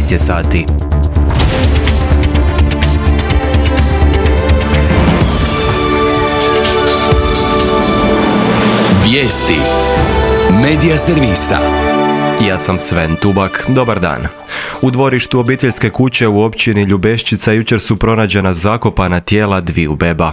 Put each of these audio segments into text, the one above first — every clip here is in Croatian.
13 je sati. Vijesti Medija servisa. Ja sam Sven Tubak, dobar dan. U dvorištu obiteljske kuće u općini Ljubeščica jučer su pronađena zakopana tijela dviju beba.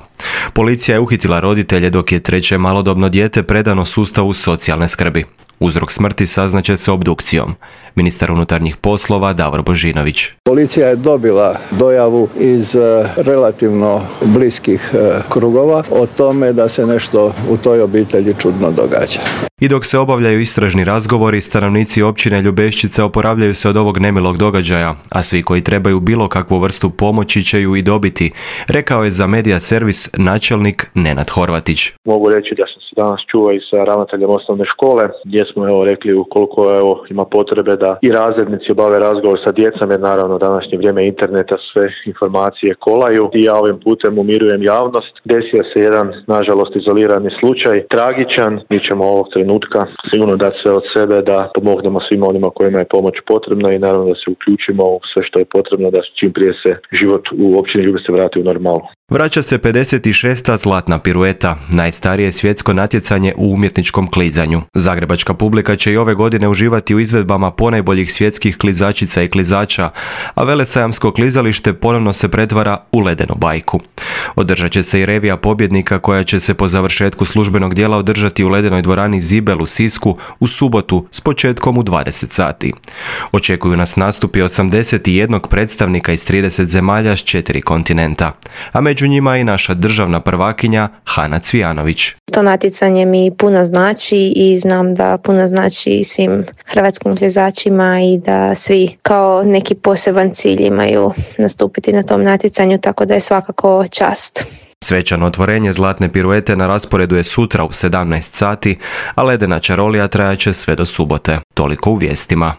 Policija je uhitila roditelje dok je treće malodobno dijete predano sustavu socijalne skrbi. Uzrok smrti saznaće se obdukcijom. Ministar unutarnjih poslova Davor Božinović. Policija je dobila dojavu iz relativno bliskih krugova o tome da se nešto u toj obitelji čudno događa. I dok se obavljaju istražni razgovori, stanovnici općine Ljubeščica oporavljaju se od ovog nemilog događaja, a svi koji trebaju bilo kakvu vrstu pomoći će ju i dobiti, rekao je za Medija servis načelnik Nenad Horvatić. Mogu reći da sam se danas čuo i sa ravnateljem osnovne škole, gdje smo rekli ukoliko ima potrebe da i razrednici obave razgovor sa djecom, jer naravno današnje vrijeme interneta sve informacije kolaju. I ja ovim putem umirujem javnost. Desio se jedan, nažalost, izolirani slučaj, tragičan. Mi ćemo ovog trenutka sigurno dati sve od sebe da pomognemo svima onima kojima je pomoć potrebna i naravno da se uključimo u sve što je potrebno da čim prije se život u općini Ljubice vrati u normalu. Vraća se 56. zlatna pirueta, najstarije svjetsko natjecanje u umjetničkom klizanju. Zagrebačka publika će i ove godine uživati u izvedbama ponajboljih svjetskih klizačica i klizača, a velesajamsko klizalište ponovno se pretvara u ledenu bajku. Održat će se i revija pobjednika koja će se po završetku službenog dijela održati u ledenoj dvorani Zibel u Sisku u subotu s početkom u 20 sati. Očekuju nas nastupi 81 predstavnika iz 30 zemalja s 4 kontinenta, a među njima i naša državna prvakinja Hana Cvijanović. To natjecanje mi puno znači i znam da puno znači svim hrvatskim klizačima i da svi kao neki poseban cilj imaju nastupiti na tom natjecanju, tako da je svakako čast. Svečano otvorenje zlatne piruete na rasporedu je sutra u 17 sati, a ledena čarolija trajaće sve do subote. Toliko u vijestima.